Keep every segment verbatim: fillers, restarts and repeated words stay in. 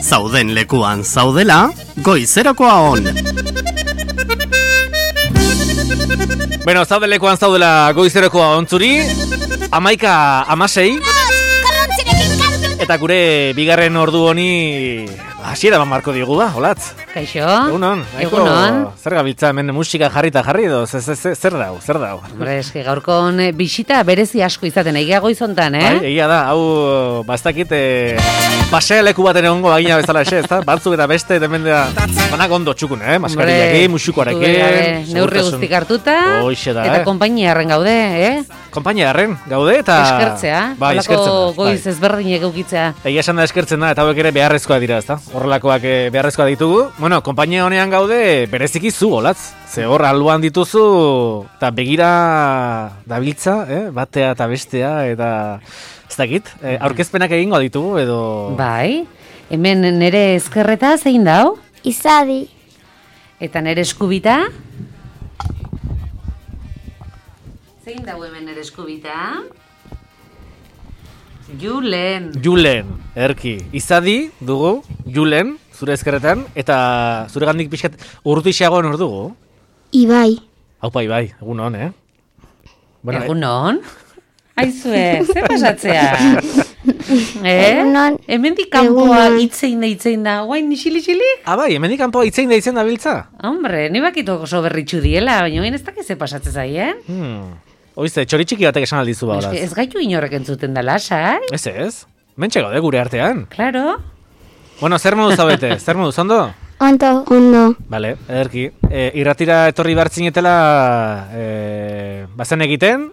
Zauden lekuan zaudela, goizerakoa on. Bueno, zauden lekuan zaudela goizerakoa ontzuri, amaika amasei. Eta gure bigarren ordu honi hasiera bat marko diogu ba, olatz. Kaixo. Egunon. Egunon. Zer gabiltza hemen musika jarrita jarri edo, zer dau, zer dau. Hombre, eski gaurkon bisita berezi asko izaten, egia goizontan, eh? Bai, egia da, hau, bastakit, pasea leku baten egongo bagina bezala ese, ezta? Batzuk eta beste, hemen da, banak ondo txukun, eh? Maskariakin, musikoarekin. Neurri guztik hartuta, Hoixe da, eta eh? konpainiarren gaude, eh? Konpainiarren gaude, eta... Eskertzea, bai, eskertzen da, goiz ezberdinek eukitzea. Egia esan da eskertzen da, eta hauek ere beharrezkoa dira, ezta? Horrelakoak beharrezkoa ditugu. Bueno, konpainia honean gaude, bereziki zu, olatz. Ze hor alboan dituzu, eta begira dabiltza, eh? Batea eta bestea, eta ez dakit, eh, aurkezpenak egingo ditugu, edo... Bai, hemen nere ezkerreta zein dau? Izadi. Eta nere eskubita? Zein dau hemen nere eskubita? Julen. Julen, erki. Izadi dugu, Julen, zure ezkerretan, eta zure gandik pixkat urrutixeagoan hor dugu. Ibai. Haupa, Ibai, egun hon, eh? Bueno, Egun hon? Aizue, ze pasatzea? Eh? Egunon. Hemendik kanpoa Egunon. itzein da itzein da, guain nixili-xili? Ah, bai, hemendik kanpoa itzein da itzen da biltza? Hombre, ni bakito oso berritxu diela, baina bain ez dakiz ze pasatzen zaien. Hmm. Oize, txoritxiki batek esan aldizu ba, Ez, olaz. ez gaitu inorrek entzuten da lasai? Ez ez, mentxe gaude gure artean. Claro. Bueno, zer moduz zaudete, zer moduz, ondo? Ondo. Ondo. Bale, ederki. E, irratira etorri bartzinetela e, bazen egiten,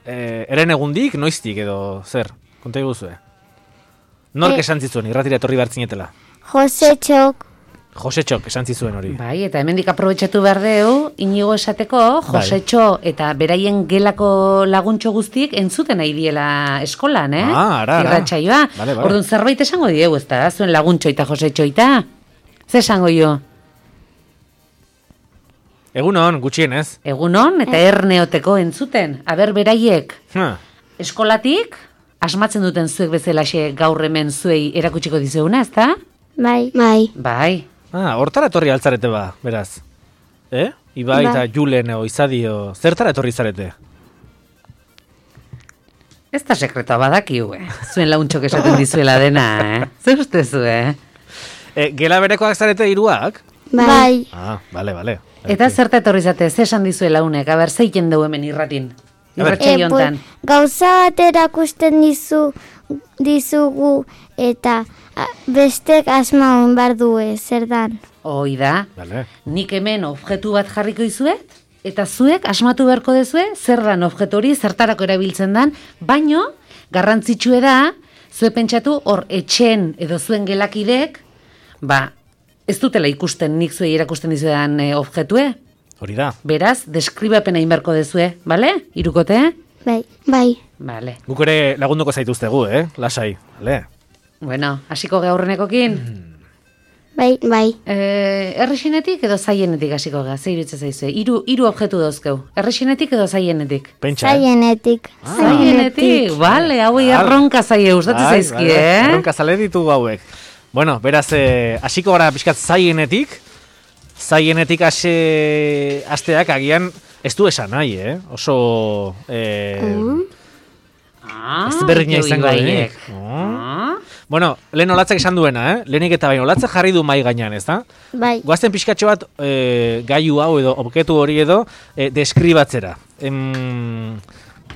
e, eren egundik, noiztik edo, zer, konta iguzue. Nork E- esan zizuen, irratira etorri bartzinetela? Jose Txok. Josetxok esan zizuen hori. Bai, eta hemendik aprobetxatu behar deu, inigo esateko, Josetxo eta beraien gelako laguntxo guztiek entzuten nahi diela eskolan, eh? Ah, ara, ara. Irratsaioa. Bale, bale. Orduan zerbait esango diegu, ez da? Zuen laguntxo eta Josetxo eta? Ze esango jo? Egunon, gutxienez. Egunon eta erneoteko entzuten. Aber beraiek Ha. eskolatik, asmatzen duten zuek bezalaxe gaur hemen zuei erakutsiko dizeuna, ez da? Bai. Bai. Bai. Ah, hortara etorri altzarete ba, beraz. Eh? Ibai eta Bai. Julen o Izadio, zertara etorri zarete? Ez da sekretoa badakiu, eh? Zuen launtxok esaten dizuela dena, eh? Zer ustezu, eh? E, gela berekoak zarete hiruak? Bai. Ah, bale, bale. Eta zerta etorri zate, ze esan dizuela unek, aber zeiten dugu hemen irratin. Irratxai hontan. pues, gauza bat erakusten dizu, dizugu eta a, bestek asmaun bar due, zer dan. Hoi da, Bale. nik hemen objektu bat jarriko izuet, eta zuek asmatu beharko dezue, zer dan objektu hori, zertarako erabiltzen dan, baino, garrantzitsue da, zue pentsatu hor etxen edo zuen gelakidek, ba, ez dutela ikusten nik zuei erakusten dizuedan e, objektue. Hori da. Beraz, deskribapena inberko dezue, bale? Irukote? Bai. Bai. Bale. Guk ere lagunduko zaituztegu, eh? Lasai, bale. Bueno, hasiko gaurrenekokin. Bai. Bai. Eh, errexinetik edo zaienetik hasiko ga, ze iruditzen zaizue? Hiru hiru objektu dauzkeu. Errexinetik edo zaienetik? Pentsa, eh? Zaienetik. Zaienetik, bale, hauei Vale. erronka zaie gustatzen Bai, zaizkie, bai, eh? erronka zale ditugu hauek. Bueno, beraz, eh, hasiko gara pixkat zaienetik, zaienetik hase asteak agian ez du esan nahi, eh? Oso... Eh, Ah, ez berdina jo izango ibaiek. denik. Ah. Bueno, lehen olatzek esan duena, eh? Lehenik eta baino, olatzek jarri du mai gainean, ez da? Bai. Goazten pixkatxo bat e, gaiu hau edo objektu hori edo e, deskribatzera. Em,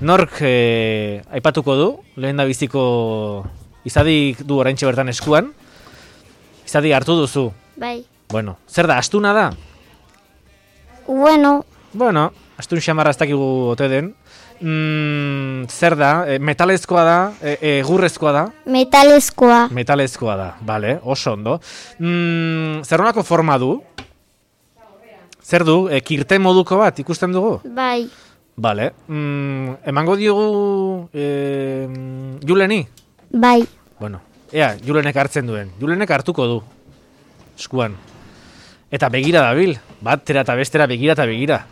nork e, aipatuko du, lehen da biziko Izadik du oraintxe bertan eskuan. Izadi hartu duzu. Bai. Bueno, zer da, astuna da? Bueno. Bueno, astun xamarra ez dakigu ote den. Mm, zer da, e, metalezkoa da, e, egurrezkoa da? Metalezkoa. Metalezkoa da, bale, oso ondo. Mm, zer honako forma du? Zer du, e, kirte moduko bat ikusten dugu? Bai. Bale, mm, emango diogu e, Juleni? Bai. Bueno, ea, Julenek hartzen duen. Julenek hartuko du, eskuan. Eta begira dabil, batera eta bestera begira eta begira.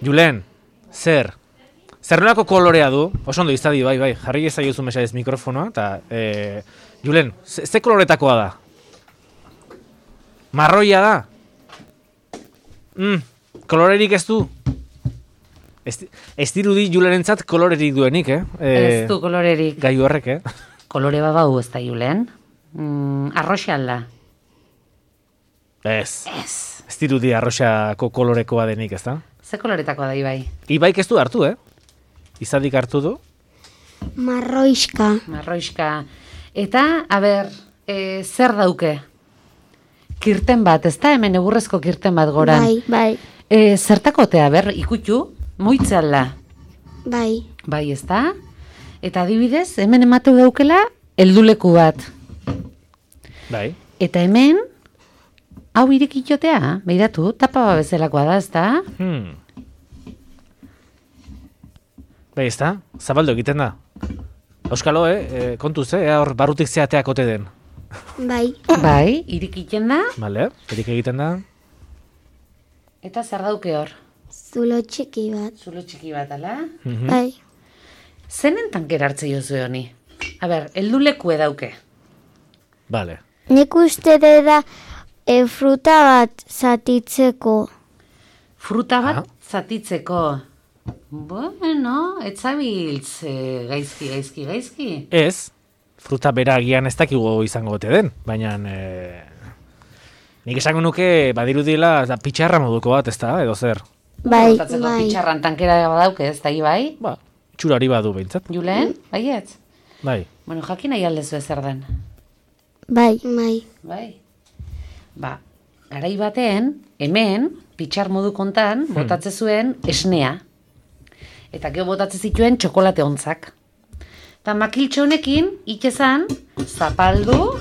Julen, zer? Zer nolako kolorea du? Oso ondo izadi, bai, bai, jarri ezaiozu mesedez mikrofonoa, eta, e, Julen, ze, ze koloretakoa da? Marroia da. Mm, kolorerik ez du. Ez, ez dirudi Julerentzat kolorerik duenik, eh? E, Ez du kolorerik. Gai horrek, eh? Kolore bat bau ez da, Julen. Mm, arroxa alda. Ez. Ez. Ez dirudi arroxako kolorekoa denik, ez da? Ze koloretakoa da, Ibai? Ibaik ez du hartu, eh? Izadik hartu du. Marroiska. Marroiska. Eta, a ber, e, zer dauke? Kirten bat, ez da? Hemen egurrezko kirten bat goran. Bai, bai, E, zertakotea, ber, ikutu, moitzealda. bai. Bai, ez da? Eta adibidez, hemen ematu daukela, helduleku bat. Bai. Eta hemen, hau irekitxotea, behiratu, tapa bat bezalakoa da, ez da? Hmm. Bai, ez da? Zabaldo egiten da. Euskalo, eh? E, kontuz, eh? Ea hor barrutik zeateak ote den. Bai, Bai, irekiten da, Bale, erik egiten da. eta zer dauke hor? zulo txiki bat. Zulo txiki bat, ala? Mhm. Bai, Zenen tankera hartze jozu honi? A ber, heldulekue dauke. Bale. nik uste da e, fruta bat zatitzeko. Fruta bat Ah. zatitzeko. Bueno, etzabiltz e, gaizki, gaizki, gaizki. Ez, fruta bera agian ez dakigu izango ote den, baina e, nik esango nuke badirudila da, pitxarra moduko bat, ez da, edo zer. Bai, Botatzeko bai, pitxarran tankera badauke, ez da, Ibai? Ba, txurari badu behintzat. Julen, baietz? Bai. Bueno, jakin nahi aldezu ezer den. bai, bai, Bai. Ba, garai baten, hemen, pitxar modu kontan, botatze zuen esnea. Eta gero botatze zituen txokolate ontzak. Eta makiltxo honekin, itxezan, zapaldu,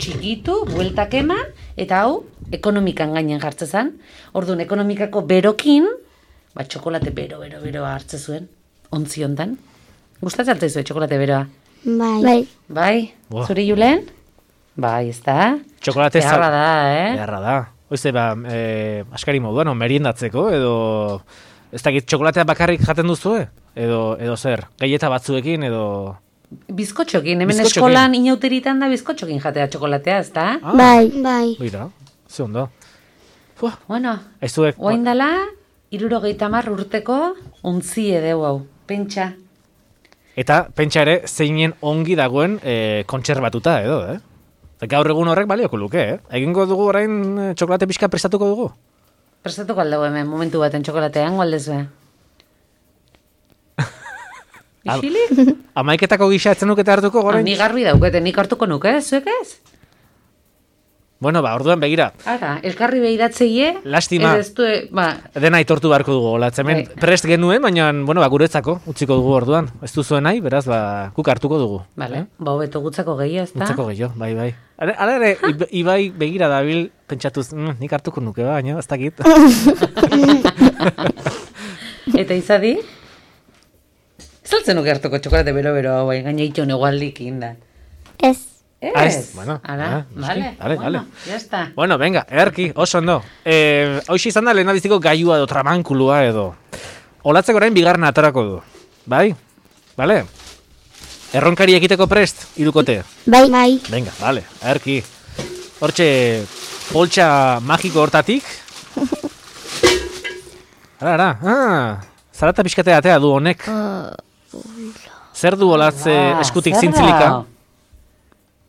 txikitu, bueltak eman, eta hau, ekonomikan gainen jartzezan. Orduan, ekonomikako berokin, ba, txokolate bero, bero, bero hartze zuen, ontzi hontan. Gustatzen altzaizu txokolate beroa? bai, bai, Bai, Buah. zuri Julen? Bai, ez da? Txokolate za- Beharra da, eh? Beharra da. Oize, ba, e, askari moduan, o, meriendatzeko, edo... Ez dakit, txokolatea bakarrik jaten duzue? Edo, edo zer, gaieta batzuekin, edo... Bizkotxokin, hemen Bizkotxokin. eskolan inauteritan da bizkotxokin jatea txokolatea, ez da? Ah, bai, bai, Mira, ze ondo. Fua, Bueno, ez zuek... oain dala, irurogeita hamar urteko untzi edeu hau, pentsa. Eta pentsa ere, zeinen ongi dagoen e, kontserbatuta edo, eh? Eta gaur egun horrek balioko luke, eh? Egingo dugu orain e, txokolate pixka prestatuko dugu? Prestatuko aldau hemen, momentu baten txokolatean, gualdezue. Isilik? Amaiketako gisa etzen nukete hartuko Ah, orain? ni garbi daukete, nik hartuko nuke, zuek ez? Bueno, ba, orduan begira, Ara, elkarri behiratzeie, Lastima. ez du, ba, dena aitortu beharko dugu, olatz, hemen Bai. prest genuen, baina, bueno, ba, guretzako, utziko dugu orduan. Ez duzuen nahi, beraz, ba, guk hartuko dugu. bale, Eh? ba, hobeto gutzako gehiago, ez da? Utzako gehiago, bai, bai. Hala hala ere, Ib- Ibai begira dabil, pentsatuz, mm, nik hartuko nuke, baina, ez dakit. Eta izadi? Zaltzen nuke hartuko txokolate bero-bero hau, bai, gaina itxo negualdik inda. ez, Ez, Ah, ez? Bueno, Ara, ah, noski. vale, Vale, bueno, vale. ya está. Bueno, venga, erki, oso ondo. Eh, hoxe izan da lehen biziko gailua edo tramankulua edo. Olatzeko orain bigarren atarako du. Bai? Vale? Erronkari egiteko prest, irukote. bai, bai, Venga, vale, erki. Hortxe, poltsa magiko hortatik. Ara, ara, ah, zarata pixkate atea du honek. Zer du olatze Ah, eskutik zer da? zintzilika?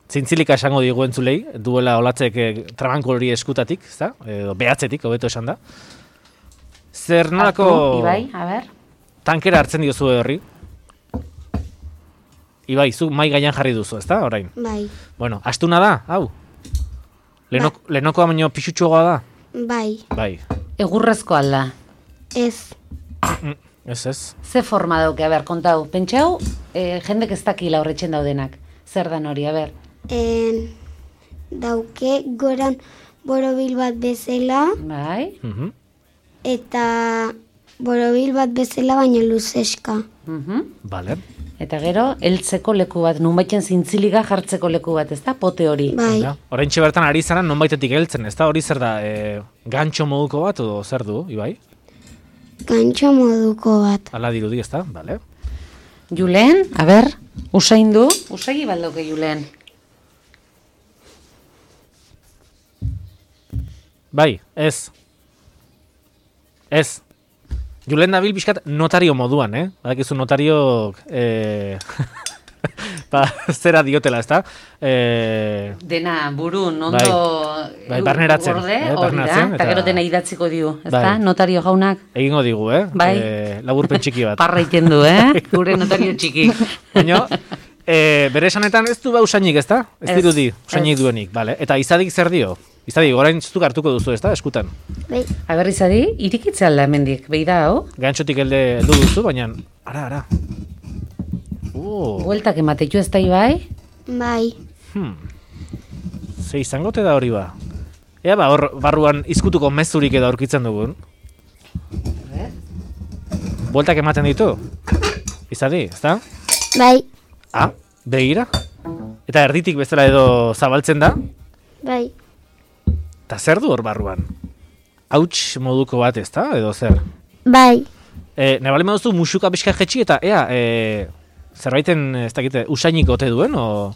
Zintzilika esango digu entzulei, duela olatzek eh, trabanko hori eskutatik, ezta? Edo behatzetik, hobeto esan da. Zer nolako Hartu, Ibai, a ber. tankera hartzen diozu horri? Ibai, zu mai gaian jarri duzu, ezta? Orain. bai, Bueno, astuna da, hau? Lenok, Lenokoa baino pixutxoagoa da? bai, Bai. Egurrezko alda. ez, Mm, ez ez. Ze forma dauke, a ber, kontau. Pentsau, eh, jendek ez dakila horretxen daudenak. Zer dan hori, a ber. en, dauke goran borobil bat bezala, Bai? Mhm. eta borobil bat bezala baina luzeska. Mhm. Vale. Eta gero, heltzeko leku bat, nunbaiten zintziliga jartzeko leku bat, ez da? Pote hori. Bai, Ja, oraintxe bertan ari zara nonbaitetik heltzen, ezta? Hori zer da, e, gantxo moduko bat edo zer du, Ibai? gantxo moduko bat. Hala dirudi, ezta? Vale. Julen, a ber, usain du? Usagi baldauke, Julen. Bai, ez. Ez. Julen dabil pixkat notario moduan, eh? Badakizu notariok... Eh... ba, zera diotela, ezta? Eh... Dena burun, ondo... Bai, bai barneratzen. Gorde, eh, hori da, barneratzen, eta gero dena idatziko diu, ezta? Bai. Notario jaunak. Egingo digu, eh? Bai. Eh, laburpen txiki bat. Parra iten du, eh? Gure notario txiki. Baina, eh, bere esanetan ez du ba usainik, ezta? Ez Ez, dirudi, usainik ez. duenik, bale? Eta izadik zer dio? Izadik, orain zuztuk hartuko duzu, ezta? Eskutan. Bai. Aber izadi, irikitze alda hemendik, behi da, hau? Gantxotik elde heldu duzu, baina... Ara, ara. Uh, Bueltak ematetu ez da bai? Bai. hmm. Ze izango te da hori ba? Ea ba, hor barruan izkutuko mezurik edo aurkitzen dugun. Bueltak ematen ditu? Izadi, ezta? Bai. Ah, begira? Eta erditik bezala edo zabaltzen da? Bai. Eta zer du hor barruan? Hauts moduko bat, ezta? Edo zer? Bai. E, Nebali maduzu musuka pixka jetxi eta ea, e, zerbaiten, ez dakite, usainik ote duen, o...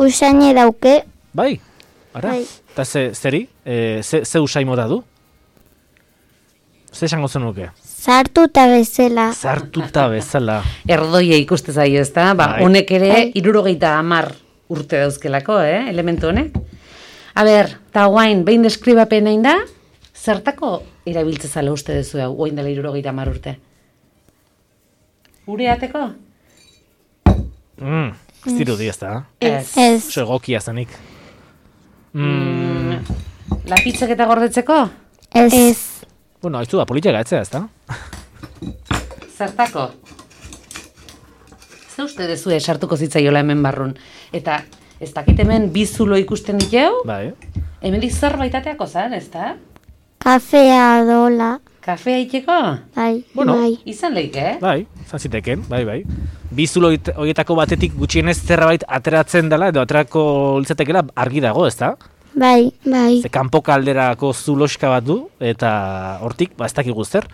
Usaine dauke. Bai, ara? Bai. Eta ze, zeri? E, ze, ze usain mota du? Ze esango zenuke? Sartuta bezala. Zartuta bezala. Erdoia ikuste zaio, ezta? Ba, Bai. honek ere Bai. hirurogeita hamar urte dauzkelako, eh? Elementu honek. A ber, ta guain, behin deskribapen egin da, zertako erabiltzezala uste duzu hau, guain dela hirurogeita hamar urte? Ureateko? Mm, ez dirudi ez da. Ez. Ez. Oso egokia zenik. Mm, Lapitzak eta gordetzeko? Ez. Ez. bueno, haizu da, politia gatzea ez da. Zertako? Ze uste dezue sartuko zitzaiola hemen barrun? Eta ez dakit hemen bi zulo ikusten ditu, Bai. hemendik zerbait ateako zan, ez da? Kafea dola. Kafea iteko? Bai. Bueno. Bai. Izan leike, eh? Bai, izan ziteken, bai, bai. Bizulo horietako batetik gutxienez zerbait ateratzen dela, edo aterako litzatekela argi dago, ez da? Bai. Bai. Ze kanpoka alderako zuloska bat du, eta hortik, ba, ez dakigu zer.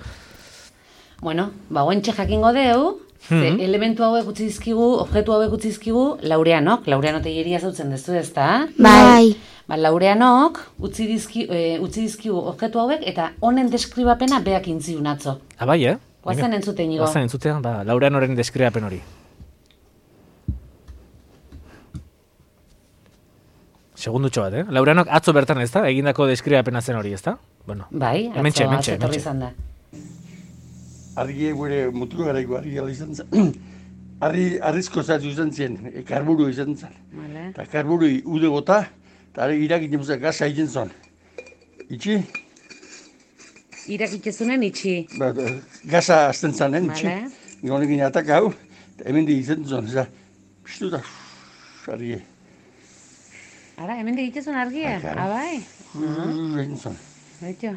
Bueno, ba, guentxe jakingo deu, ze Mhm. elementu hauek utzi dizkigu, objektu hauek utzi dizkigu, Laureanok, Laureano teieria zautzen dezu, ez da? Bai. Ba, Laureanok utzi, dizki, e, utzi dizkigu objektu hauek, eta honen deskribapena beak intziun atzo. Ah, bai, eh? Guazen entzuten nigo. Guazen entzutean, ba, Laureanoren deskribapen hori. Segundutxo bat, eh? Laureanok atzo bertan ez da, egindako deskribapena zen hori, ez da? Bueno, Bai, atzo, hementxe, hementxe, atzo etorri hementxe. izan da. Argi gure mutuko garaiko argi gala izan zen. Arri, arrizko zatu izan zen, e, karburu izan zen. Vale. Eta karburu ude gota, eta irak inemuzak gaza egin zon. Itxi, Irakitzezunen itxi. ba, gaza azten zanen, itxi. Vale. Gonekin ataka hau, eta hemen di izan zon, eza, piztu da, argi, Ara, hemen digitezun argia? Bai, claro. Ah, bai? egin zon. Baito.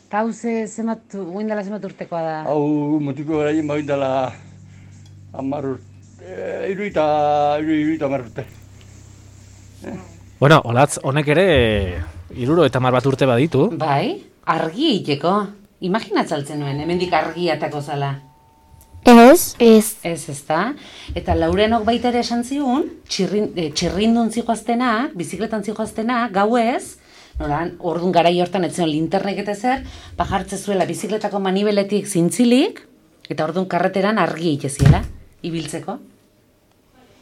Ta hau ze, zemat, guindala zemat urtekoa da? Hau mutuko garaien bain dela hamar urte, iruita, iruita hamar urte. Bueno, olatz, honek ere iruro eta mar bat urte baditu. Bai, argi iteko. Imaginatzaltzen nuen, hemendik argi atako zala. Ez. Ez. Ez, ezta? Eta Laurenok baita ere esan zigun, txirrin, e, txirrindun zijoaztenak, bizikletan zijoaztenak, gauez, nola, orduan garai hortan etzen linternek eta zer, bajartze zuela bizikletako manibeletik zintzilik, eta orduan karreteran argi iteziela, ibiltzeko.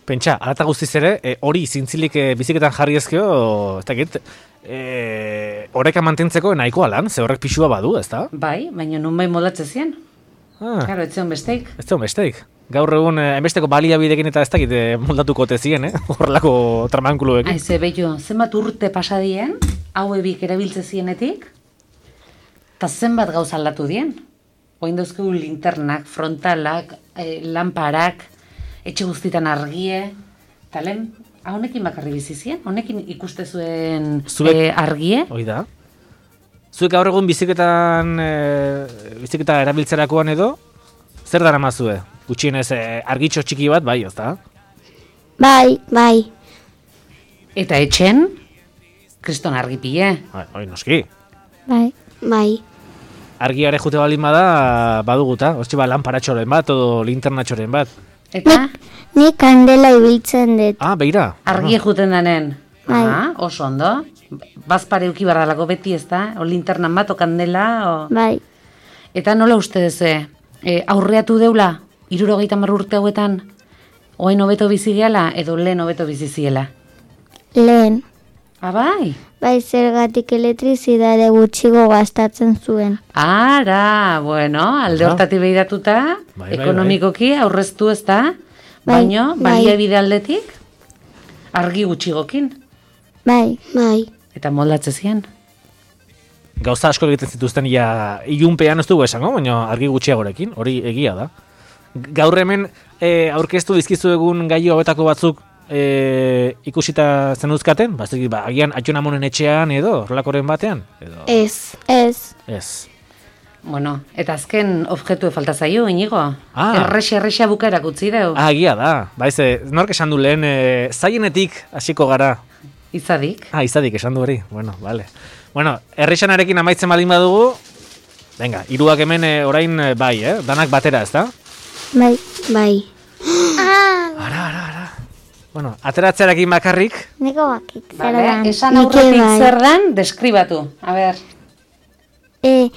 Pentsa, alata guztiz ere, e, hori zintzilik e, biziketan jarri ezkeo, ez dakit, e, horreka mantentzeko nahikoa lan, ze horrek pixua badu, ez da? Bai, baina nun bai molatze zien. Ah, Claro, etzion besteik. ez da besteik. Gaur egun, eh, hainbesteko baliabidekin eta ez dakit eh, moldatuko ote ziren, eh? Horrelako tramankuluekin. Aize, behitu, zenbat urte pasadien, hau ebik erabiltze zienetik, eta zenbat gauza aldatu dien. Oin dauzkegu linternak, frontalak, eh, lamparak, etxe guztitan argie, eta lehen, honekin bakarri bizi zien, honekin ikuste zuen Zuek- eh, argie. Hoi da. Zuek gaur egun biziketan, e, biziketa erabiltzerakoan edo, zer dara mazue? Gutxienez e, argitxo txiki bat, bai, ez da? Bai. Bai. Eta etxen, kriston argi pile. Hoi, noski. Bai. Bai. Argiare jute baldin bada, baduguta. Hortxe ba, lanparatxoren bat, edo linternatxoren bat. Eta Nik kandela ibiltzen dut. Ah, beira. argie juten danen. Bai. Ah, oso ondo. bazpare uki bardalako beti, ez da? O linternan bat, o kandela, o... Bai, Eta nola uste duzu, e, aurreatu deula, hirurogeita hamar urte hauetan, oain hobeto bizi gehala, edo lehen hobeto bizi ziela? lehen. Ah, bai? Bai, zergatik elektrizidade gutxigo gastatzen zuen. Ara, bueno, alde Aha. hortatik behiratuta, Bai, bai, ekonomikoki aurreztu ez da, Bai, baino, bai. baliabide aldetik, argi gutxigokin, Bai, bai. eta moldatze zian. Gauza asko egiten zituzten ja ilunpean ez dugu esango, baina argi gutxiagorekin, hori egia da. Gaur hemen e, aurkeztu dizkizu egun gai hauetako batzuk e, ikusita zenuzkaten? Ba, ez dakit, ba, agian atxonamonen etxean edo, horrelakoren batean? Edo, Ez. Ez. ez. Bueno, eta azken objektu falta zaio, inigo. Ah. Errexe, errexe bukaerak utzi deu. Ah, egia da. Ba, ez, e, nork esan du lehen, e, zaienetik hasiko gara. Izadik. Ah, izadik esan du hori. Bueno, vale. Bueno, errexanarekin amaitzen baldin badugu, venga, hiruak hemen e, orain e, bai, eh? Danak batera, ez da? Bai. Bai. Ara, ara, ara. Bueno, ateratzearekin bakarrik, Neko bakit. Zer Vale, dan. esan Nik aurretik bai. zer dan, deskribatu. A ber, E,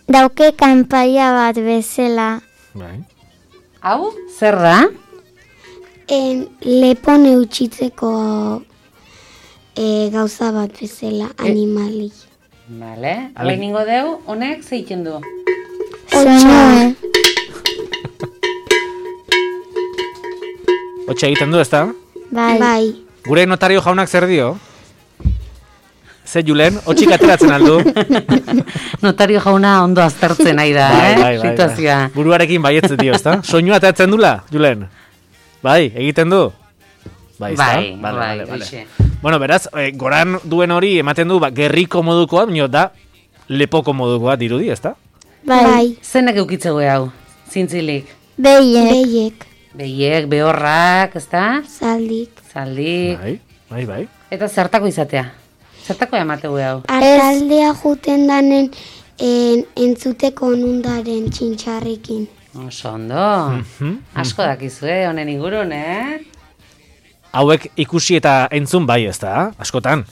dauke kanpaia bat bezala. bai. hau, zer da? En, lepon eutxitzeko e, gauza bat bezala, animali. Vale, Ale- hau ningo deu, honek zeiten du. Sonoe. Hotxe egiten du, ez da? Bai. Bai. Gure notario jaunak zer dio? Ze Julen, hotxik ateratzen aldu. Notario jauna ondo aztertzen nahi da, eh? Situazioa. Buruarekin baietze dio, ez da? Soinua ateratzen dula, Julen? Bai, egiten du? Bai, ezta? Bai, Vale, bai, vale, vale. hoxe. Bueno, beraz, eh, goran duen hori ematen du, ba, gerriko modukoa, baina da lepoko modukoa dirudi, ez da? Bai. Zenek eukitzegu hau, zintzilik. Beiek. Beiek. Behiek, behorrak, ezta? Zaldik. Zaldik. Bai, bai, bai. Eta zertako izatea? Zertako emategu hau? Artaldea juten danen en, entzuteko onundaren txintxarrekin. Oso ondo. Mhm. Asko dakizue, honen ingurun, eh? Hauek ikusi eta entzun bai, ez da? Askotan.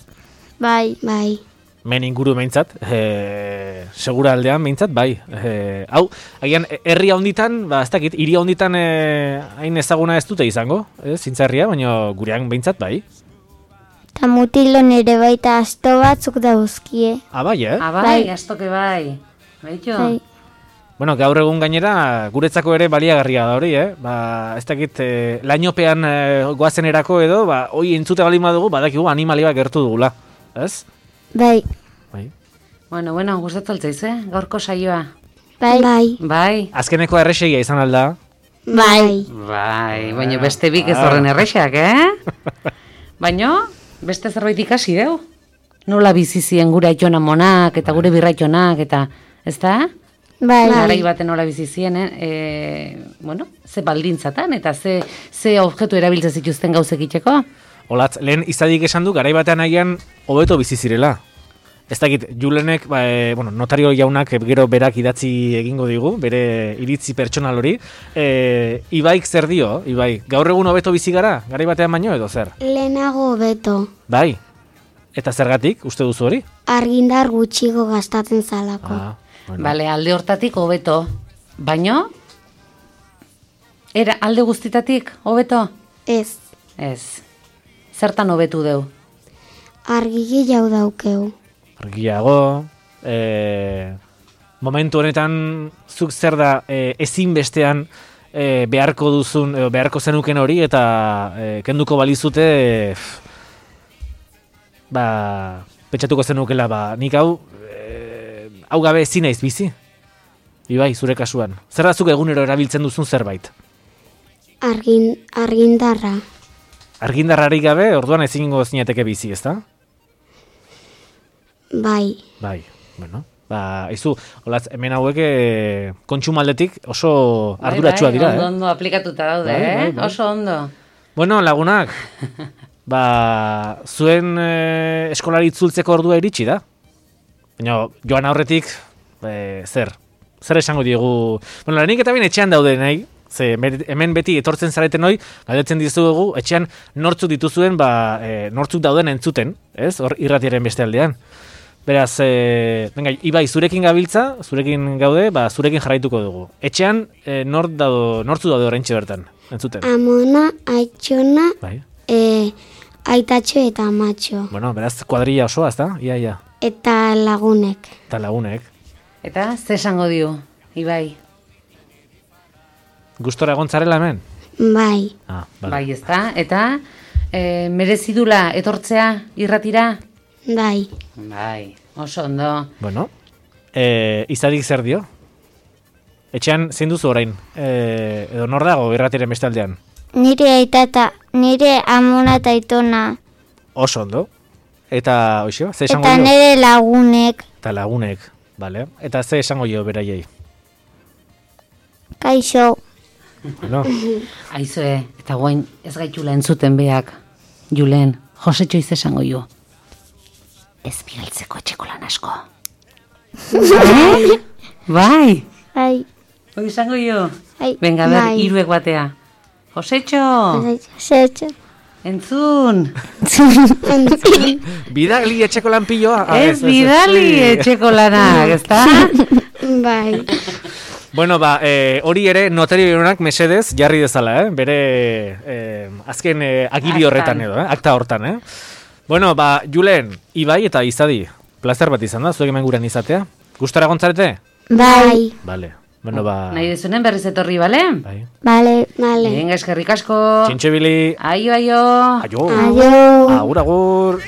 Bai. Bai. Men inguru behintzat, e, segura aldean behintzat, bai. E, hau, agian, herri handitan, ba, ez dakit, hiri handitan e, hain ezaguna ez dute izango, ez, zintzarria, baina gurean behintzat, bai. Ta mutilon ere baita asto batzuk dauzkie. Ah, bai, eh? Ah, bai, Bai. astoke bai. Baito? Bai. Bueno, gaur egun gainera, guretzako ere baliagarria da hori, eh? Ba, ez dakit, e, lainopean e, goazenerako edo, ba, hoi entzute balin badugu, badakigu animali bat gertu dugula, ez? Bai. Bai. Bueno, bueno, gustatu altzaiz, eh? Gaurko saioa. Bai. Bai. Bai. Azkeneko erresegia izan alda. Bai. Bai, baina beste bik ez horren errexak, eh? Baina, beste zerbait ikasi deu. Nola bizi zien gure aitona monak eta gure birraitonak eta, ez da? Bai. Garai baten nola bizi zien, eh? E, bueno, ze baldintzatan eta ze, ze objektu erabiltzen zituzten gauzek itxeko. Olatz, lehen izadik esan du, garai batean agian hobeto bizi zirela. Ez dakit, Julenek, ba, e, bueno, notario jaunak gero berak idatzi egingo digu, bere iritzi pertsonal hori. E, Ibaik zer dio, Ibai? Gaur egun hobeto bizi gara, garai batean baino edo zer? Lehenago beto. Bai. Eta zergatik, uste duzu hori? Argindar gutxigo gastatzen zalako. Ah, bueno. Bale, alde hortatik hobeto. Baino? Era alde guztitatik hobeto? Ez. Ez. Zertan hobetu deu? Argi gehiago daukeu. Argiago, e, momentu honetan zuk zer da e, ezinbestean e, beharko duzun, edo beharko zenuken hori, eta e, kenduko balizute, e, ba, pentsatuko zenukela, ba, nik hau, e, hau gabe ezin naiz bizi. Ibai, zure kasuan. Zer da zuk egunero erabiltzen duzun zerbait? Argin, argindarra. Argindarrarik gabe, orduan ezingo zinateke bizi, ezta? Bai. Bai, bueno. Ba, izu, olatz, hemen hauek e, kontsumaldetik oso arduratsuak dira, ondo, eh? ondo aplikatuta daude, Bai, eh? bai, bai. Oso ondo. Bueno, lagunak, ba, zuen e, eskolari itzultzeko ordua iritsi da. Baina, joan aurretik, e, zer? Zer esango diegu? Bueno, lehenik eta bien etxean daude nahi, Ze hemen beti etortzen zareten hoi, galdetzen dizugu, etxean nortzuk dituzuen, ba, e, nortzuk dauden entzuten, ez? Hor irratiaren beste aldean. Beraz, e, venga, Ibai, zurekin gabiltza, zurekin gaude, ba, zurekin jarraituko dugu. Etxean, e, nort dado, nortzu daude oraintxe bertan, entzuten? Amona, Aitxona, Bai. e, Aitatxo eta Amatxo. Bueno, beraz, kuadrilla osoa, ezta? Ia, ia. Eta lagunek. Eta lagunek. Eta, ze esango dio, Ibai? Gustora egontzarela hemen? Bai. Ah, vale. Bai, ezta? Eta, e, merezidula etortzea irratira? Bai. Bai, oso ondo. Bueno, e, izadik zer dio? Etxean zein duzu orain? E, edo nor dago irratiren beste aldean? Nire aitata, nire Amona eta Aitona. Oso ondo. Eta, oixo, ze esango Eta dio? nire lagunek. Eta lagunek, vale. Eta ze esango jo beraiei? Kaixo. Bueno, Aizue, eta guain ez gaitula entzuten beak. Julen, Josetxo iz esango jo. Ez bigaltzeko etxeko lan asko. Eh? Bai, Bai. hoi esango jo. Bai. Venga, ber, Bai. hiruek batea. Josetxo, Josetxo. entzun. bidali etxeko lanpilloa. Ah, Ez bidali etxeko lanak, ezta? Bai. Bueno, ba, eh, hori ere notario jaunak mesedez jarri dezala, eh? Bere eh, azken eh, agiri Aktan. horretan edo, eh? Akta hortan, eh? Bueno, ba, Julen, Ibai eta Izadi, plazer bat izan da, zuek hemen gurean izatea. Gustora gontzarete? Bai. Vale. Bueno, ba... Nahi dezunen berriz etorri, bale? Bai. Bale. Bale. Venga, eskerrik asko. Txintxe bili. Aio, aio. Aio. Aio. Agur, agur.